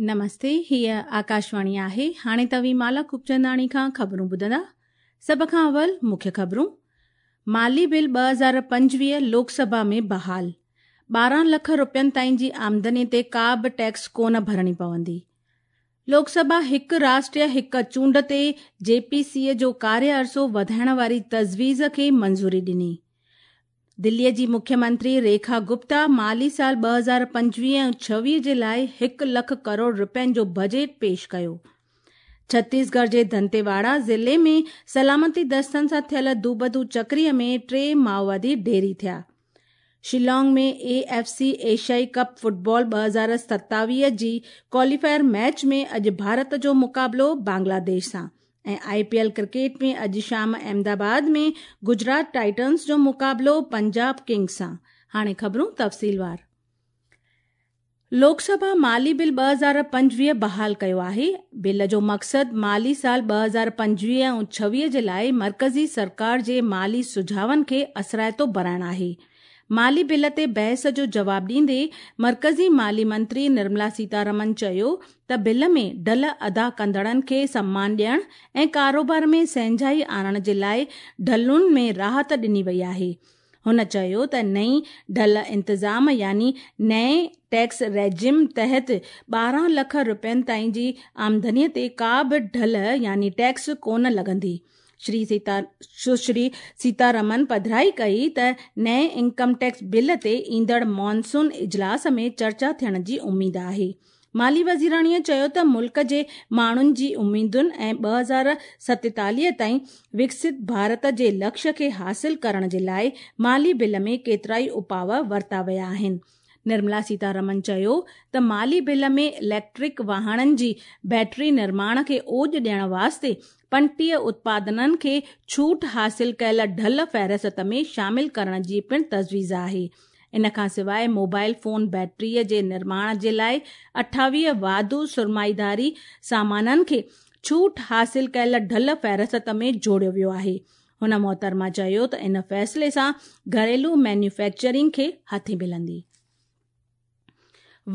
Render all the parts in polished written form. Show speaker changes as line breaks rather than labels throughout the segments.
نمستي، هيء آڪاشواڻي آهي. هاڻي توهين مالا خوبچنداڻي کان خبرون ٻڌندا. سڀ کان اول مکيه خبرون. مالي بل 2025 لوڪ سڀا ۾ بحال. 12 لک روپين تائين جي آمدني تي ڪا به ٽيڪس ڪونه ڀرڻي پوندي. لوڪ سڀا هڪ راشٽريه هڪ چونڊ تي جي پي سي جو ڪاريه عرصو وڌائڻ واري تجويز کي منظوري ڏني. دليء جي مکيه منتري ريکا گپتا مالي سال 2025 ۽ 26 جي لاء هڪ لک ڪروڙ رپين جو بجيٽ پيش ڪيو. ڇتيسڳڙهه جي دنتيواڙا ضلعي ۾ سلامتي دستن سان ٿيل دوبدو چڪري ۾ ٽي مائووادي ڍيري ٿيا. شيلانگ ۾ اي ايف سي ايشيائي ڪپ فٽبال 2027 جي ڪواليفائر ميچ ۾ اڄ ڀارت جو مقابلو بنگلاديش سان ۽ آء پي ايل ڪرڪيٽ ۾ اڄ شام احمد آباد ۾ گجرات ٽائٽنز جو مقابلو پنجاب ڪنگز سان. هاڻي خبرون تفصيلوار. لوڪ سڀا مالي بل 2025 بحال ڪيو آهي. بل جو مقصد مالي سال 2025 ۽ 26 جي لاء مرڪزي سرڪار جي مالي سجهاون کي اثرائتو بڻائڻ آهي. مالي بل تي بحث جو جواب ڏيندي مرڪزي مالي منتري نرملا سيتارمن چيو ته بل ۾ ڍل ادا ڪندڙن کي سمان ڏيڻ ۽ ڪاروبار ۾ سهنجائي آڻڻ جي لاء ڍلن ۾ راحت ڏني وئي آهي. هن چيو ته نئين ڍل انتظام يعني نئين ٽيڪس ريجيم تحت 12 لک رپين تائين جي آمدني تي ڪا به ڍل يعني ٽيڪس ڪونه لڳندي. شري سشري سيتارمن پڌرائي ڪئي ته نئين انڪم ٽيڪس بل تي ايندڙ مانسون اجلاس ۾ چرچا ٿيڻ جي اميد آهي. مالي وزيراڻيء چيو ته ملڪ جي ماڻهن جي اميدن ۽ 2047 تائين وڪست ڀارت جي لڪشيه کي حاصل ڪرڻ جي لاء مالي بل ۾ ڪيترائي اپاء ورتا ويا آهن. نرملا سيتارمن چيو ته مالي بل ۾ اليڪٽرڪ واهڻن جي بيٽري نرماڻ کي اوڄ ڏيڻ واسطي 35 اتپادنن کي ڇوٽ حاصل ڪيل ڍل فهرست ۾ شامل ڪرڻ جي پڻ تجويز آهي. ان کان سواء موبائل فون بيٽري جي نرماڻ جي لاء 28 واڌو سرمائيداري سامانن کي ڇوٽ حاصل ڪيل ڍل فهرست ۾ جوڙيو ويو آهي. هن محترمه چيو ته ان فيصلي سان گهريلو مينوفيڪچرنگ کي هٿي ملندي.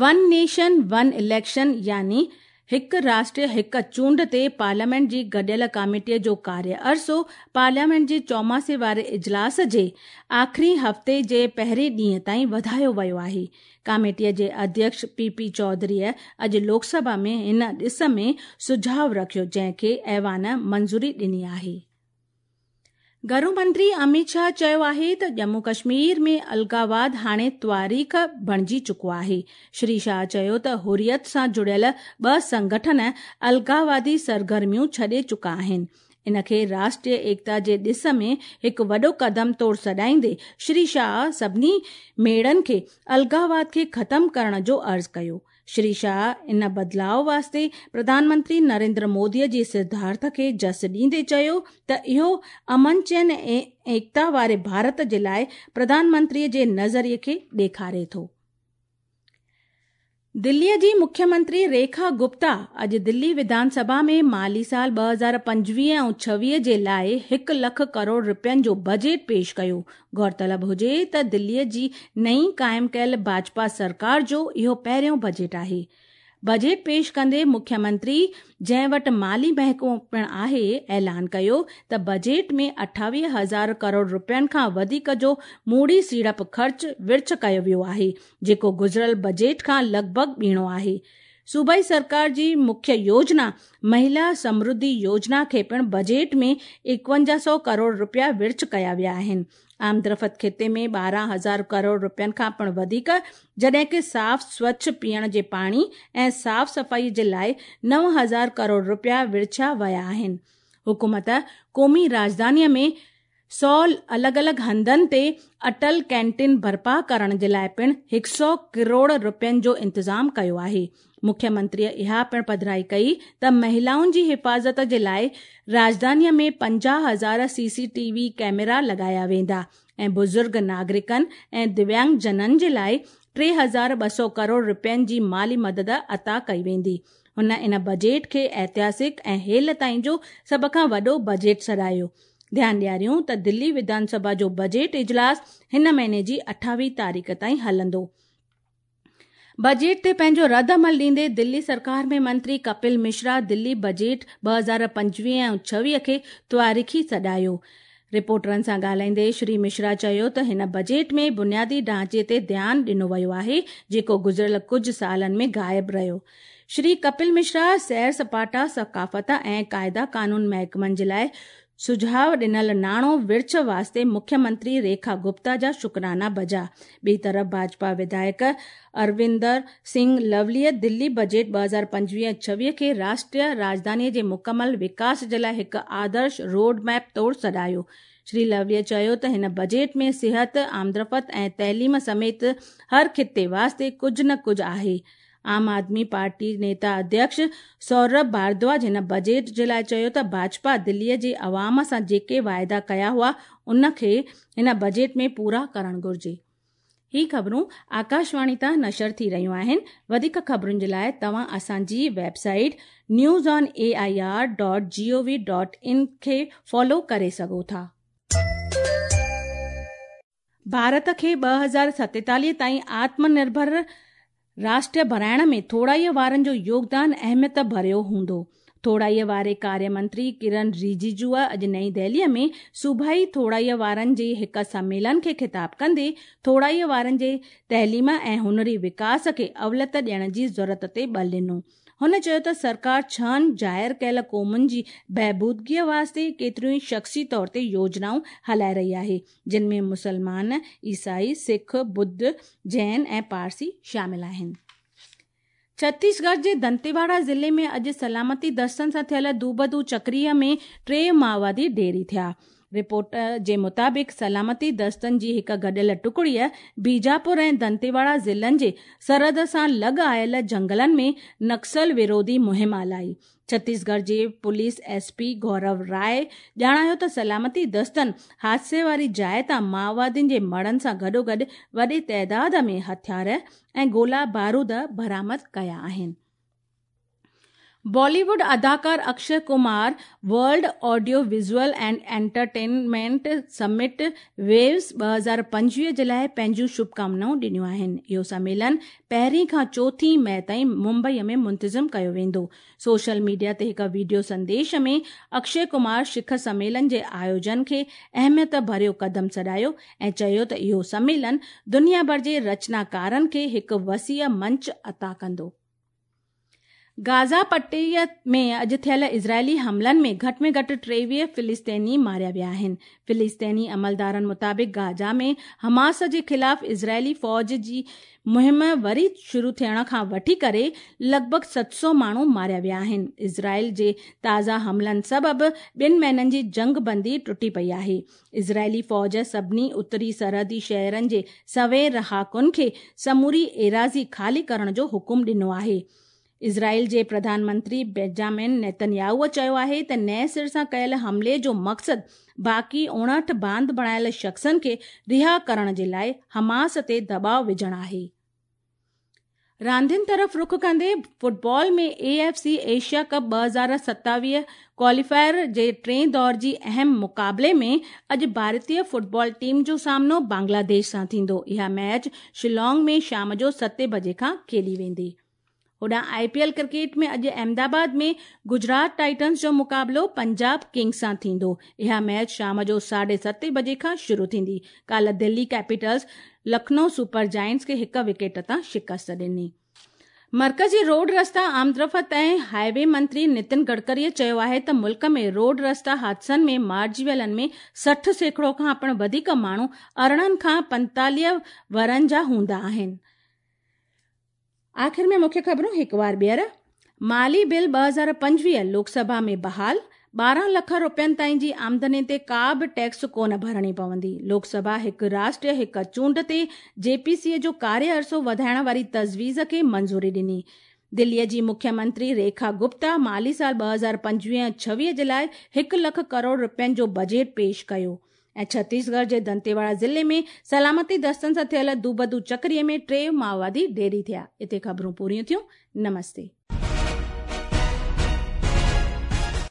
ون نيشن ون اليڪشن يعني هڪ راشٽر هڪ چونڊ تي پارليامينٽ جي گڏيل ڪاميٽي جو ڪاريه عرصو پارليامينٽ جي چوماسي واري اجلاس جي آخري هفتي جي پهرين ڏينهن تائين وڌايو ويو آهي. ڪاميٽي جي اڌيڪش پي پي چوڌريء اڄ لوڪ سڀا ۾ ان ڏس ۾ سجهاء رکيو جنهن کي ايوان منظوري ڏني آهي. گهرو منتري اميت شاهه چيو آهي ته ڄمون ڪشمير ۾ الغاواد هاڻي تواريخ بڻجي چڪو آهي. شري شاهه چيو ته حريت سان جڙيل ٻه سنگٺن الغاوادي سرگرميون ڇڏي چڪا آهن. ان کي راشٽريه ايڪتا جي ڏس ۾ هڪ وڏو قدم طور سڏائيندي شري شاهه سڀني ميڙن کي الغاواد کي ختم ڪرڻ جو عرض ڪيو. شري شاهه ان بدلاء واسطي پرڌان منتري نريندر مودي جي سڌارٿ کي جس ڏيندي چيو ته اهو امن چين ۽ ايڪتا واري ڀارت جي لاء پرڌان منتري جي نظريي کي ڏيکاري ٿو. دلي جي مکيه منتري ريکا گپتا اڄ دلي وڌان سڀا ۾ مالي سال 2025 ۽ 26 جي لاء هڪ لک ڪروڙ رپين جو بجيٽ پيش ڪيو. غور طلب هجي ته دلي جي نئين قائم ڪيل ڀاجپا سرڪار جو اهو پهريون بجيٽ آهي. بجيٽ پيش ڪندي مکيه منتري جنهن وٽ مالي محڪمو پڻ آهي اعلان ڪيو ته بجيٽ ۾ 28 هزار ڪروڙ رپين کان وڌيڪ جو موڙي سيڙپ خرچ ورڇ ڪيو ويو آهي جيڪو گذريل بجيٽ کان لڳ ڀڳ ٻيڻو آهي. صوبائي سرڪار جي مکيه يوجنا مهلا سمرڌي يوجنا کي پڻ بجيٽ ۾ 51 سئو ڪروڙ رپيا ورڇ ڪيا ويا آهن. آمدرفت خطي ۾ 12 هزار ڪروڙ رپين کان پڻ وڌيڪ جڏهن ڪه صاف سوڇ پيئڻ جي پاڻي ۽ صاف صفائي جي لاء 9000 ڪروڙ رپيا ورڇيا ويا آهن. حڪومت قومي راڄڌاني ۾ سئو الڳ الڳ هنڌن تي اٽل ڪينٽين برپا ڪرڻ جي لاء پڻ هڪ سئو ڪروڙ رپين جو انتظام ڪيو آهي. مکيه منتريء اها پڻ پڌرائي ڪئي ته مهلائن جي حفاظت جي لاء راڄڌانيء ۾ 50 هزار سي سي ٽي وي ڪئميرا لڳايا ويندا ۽ بزرگ ناگرڪن ۽ دويانگ جنن جي لاء 3200 ڪروڙ رپين جي مالي مدد عطا ڪئي ويندي. هن ان بجيٽ کي ائتهاسڪ ۽ هيل تائين جو سڀ کان وڏو بجيٽ سڏايو. ڌيان ڏياريون ته دلي وڌان سڀا جو بجيٽ اجلاس هن مهيني جي 28 تاريخ تائين هلندو. بجيٽ تي پنهنجو رد عمل ڏيندي دلي سرڪار ۾ منتري ڪپل مشرا دلي بجيٽ 2025 ۽ 26 کي تواريخي سڏايو. رپورٽرن سان ڳالهائيندي شري مشرا چيو ته هن بجيٽ ۾ بنيادي ڍانچي تي ڌيان ڏنو ويو آهي، جيڪو گذريل ڪجهه سالن ۾ غائب رهيو. شري ڪپل مشرا سير سپاٽا، ثقافت ۽ قاعدا قانون محڪمن جي لاء سجهاء ڏنل ناڻو ورڇ واسطي مکيه منتري ريکا گپتا جا شڪرانا بجا. ٻئي طرف ڀاجپا وڌايڪ اروندر سنگهه لوليء دلي بجيٽ 2025 26 کي راشٽريه راڄڌاني جي مڪمل وڪاس جي لاء هڪ آدرش روڊ ميپ طور سڏايو. شري لوليء چيو ته هن بجيٽ ۾ صحت، آمدرفت ۽ تعليم سميت هر خطي واسطي ڪجهه نه ڪجهه آهي. عام آدمي پارٽي نيتا اڌيڪش سورڀ ڀاردواج هن بجيٽ جي لاء چيو ته ڀاجپا دلي جي عوام سان جيڪي واعدا ڪيا هئا ان کي هن بجيٽ ۾ پورا ڪرڻ گهرجي. هي خبرون آڪاشواڻي تان نشر ٿي رهيون آهن. وڌيڪ خبرن جي لاء توهان اسان جي website news on A I R dot G O V dot in کي فالو ڪري سگهو ٿا. ڀارت کي 2047 تائين آتم نرڀر راشٽر بڻائڻ ۾ ٿورائيء وارن جو يوگدان اهميت ڀريو هوندو. ٿورائيء واري ڪاريه منتري ڪرن رجيجوء اڄ نئين دهليء ۾ صوبائي ٿورائيء وارن جي هڪ سميلن کي خطاب ڪندي ٿورائيء وارن جي تعليم ۽ هنري وڪاس کي اوليت ڏيڻ جي ضرورت تي ٻل ڏنو. هن چيو ته سرڪار ڇهن ظاهر ڪيل قومن جي بهبودگيء واسطي ڪيتريون ئي شخصي طور تي يوجنائون هلائي رهي آهي، جن ۾ مسلمان، عيسائي، سک، ٻڌ، جين ۽ پارسي شامل آهن. ڇتيسڳڙهه جي دنتيواڙا ضلعي ۾ اڄ سلامتي دستن سان ٿيل دوبدو چڪريء ۾ ٽي مائوادي ڍيري ٿيا. رپورٽ جي مطابق سلامتي دستن جي هڪ گڏيل ٽڪڙيء بيجاپور ۽ دنتيواڙا ضلعن جي سرحد سان لڳ آيل جهنگلن ۾ نڪسل وروڌي مهم هلائي. ڇتيسڳڙهه جي police S P Gaurav Rai ڄاڻايو ته سلامتي دستن حادثي واري جاء تان مائوادين جي مڙهن سان گڏوگڏ وڏي تعداد ۾ هٿيار ۽ گولا بارود برآمد ڪيا آهن. بالي ووڊ اداڪار Akshay Kumar world audio visual and entertainment summit waves 2025 جي لاء پنهنجون شڀڪامنائون ڏنيون آهن. اهو سميلن پهرين کان چوٿين مئي تائين ممبئي ۾ منتظم ڪيو ويندو. سوشل ميڊيا تي هڪ وڊيو سنديش ۾ اڪشي ڪمار شکر سميلن جي آيوجن کي اهميت ڀريو قدم سڏايو ۽ چيو ته اهو سميلن دنيا ڀر جي رچناڪارن کي هڪ وسيع منچ عطا ڪندو. گازا پٽي ۾ اڄ ٿيل اسرائيلي حملن ۾ گهٽ ۾ گهٽ 23 فلسطيني ماريا ويا آهن. فلسطيني عملدارن مطابق گازا ۾ حماس جي خلاف اسرائيلي فوج جي مهم وري شروع ٿيڻ کان وٺي ڪري لڳ ڀڳ 700 ماڻهو ماريا ويا آهن. اسرائيل جي تازا حملن سبب ٻن مهينن جي جنگ بندي ٽٽي پئي آهي. اسرائيلي فوج سڀني اتري سرحدي شهرن جي سوين رهاڪن کي سموري ايراضي خالي ڪرڻ جو حڪم ڏنو آهي. اسرائيل جي پرڌان منتري بينجامن نيتنياهو چيو آهي ته نئين سر سان ڪيل حملي جو مقصد باقي 59 باند بڻايل شخصن کي رها ڪرڻ جي لاء حماس تي دٻاء وجهڻ آهي. راندين طرف رخ ڪندي football ۾ A F C Asia cup 2027 qualifier جي ٽئين دور جي اهم مقابلي ۾ اڄ ڀارتي فٽبال ٽيم جو سامنو بنگلاديش سان ٿيندو. اها ميچ شيلانگ ۾ شام جو ستين بجي کان کيڏي ويندي. هوڏانهن آء پي ايل ڪرڪيٽ ۾ اڄ احمد آباد ۾ گجرات ٽائٽنز جو مقابلو پنجاب ڪنگز سان ٿيندو. اها ميچ شام جو ساڍي ستين بجي کان شروع ٿيندي. ڪالهه Delhi Capitals Lucknow super giants کي هڪ وڪيٽ تان شڪست ڏني. مرڪزي روڊ رستا آمدرفت ۽ هاء وي منتري نتن گڊڪري چيو آهي ته ملڪ ۾ روڊ رستا حادثن ۾ مارجي ويلن ۾ 60% کان پڻ وڌيڪ ماڻهو 18 کان 45 ورهن جا هوندا آهن. آخر ۾ مکيه خبرون هڪ وار ٻيهر. مالي بل 2025 لوڪ سڀا ۾ بحال، 12 لک روپين تائين جي آمدني تي ڪا به ٽيڪس ڪونه ڀرڻي پوندي. لوڪ سڀا هڪ راشٽر هڪ چونڊ تي جي پي سي جو ڪاريه عرصو وڌائڻ واري تجويز کي منظوري ڏني. دلي جي مکيه منتري ريکا گپتا مالي سال 2025 26 جي لاء هڪ لک ڪروڙ روپين جو بجيٽ پيش ڪيو. ۽ ڇتيسڳڙهه جي دنتيواڙا ضلعي ۾ سلامتي دستن سان ٿيل دوبدو چڪري ۾ ٽي مائووادي ڍيري ٿيا. اتي خبرون پوريون ٿيون. نمستي.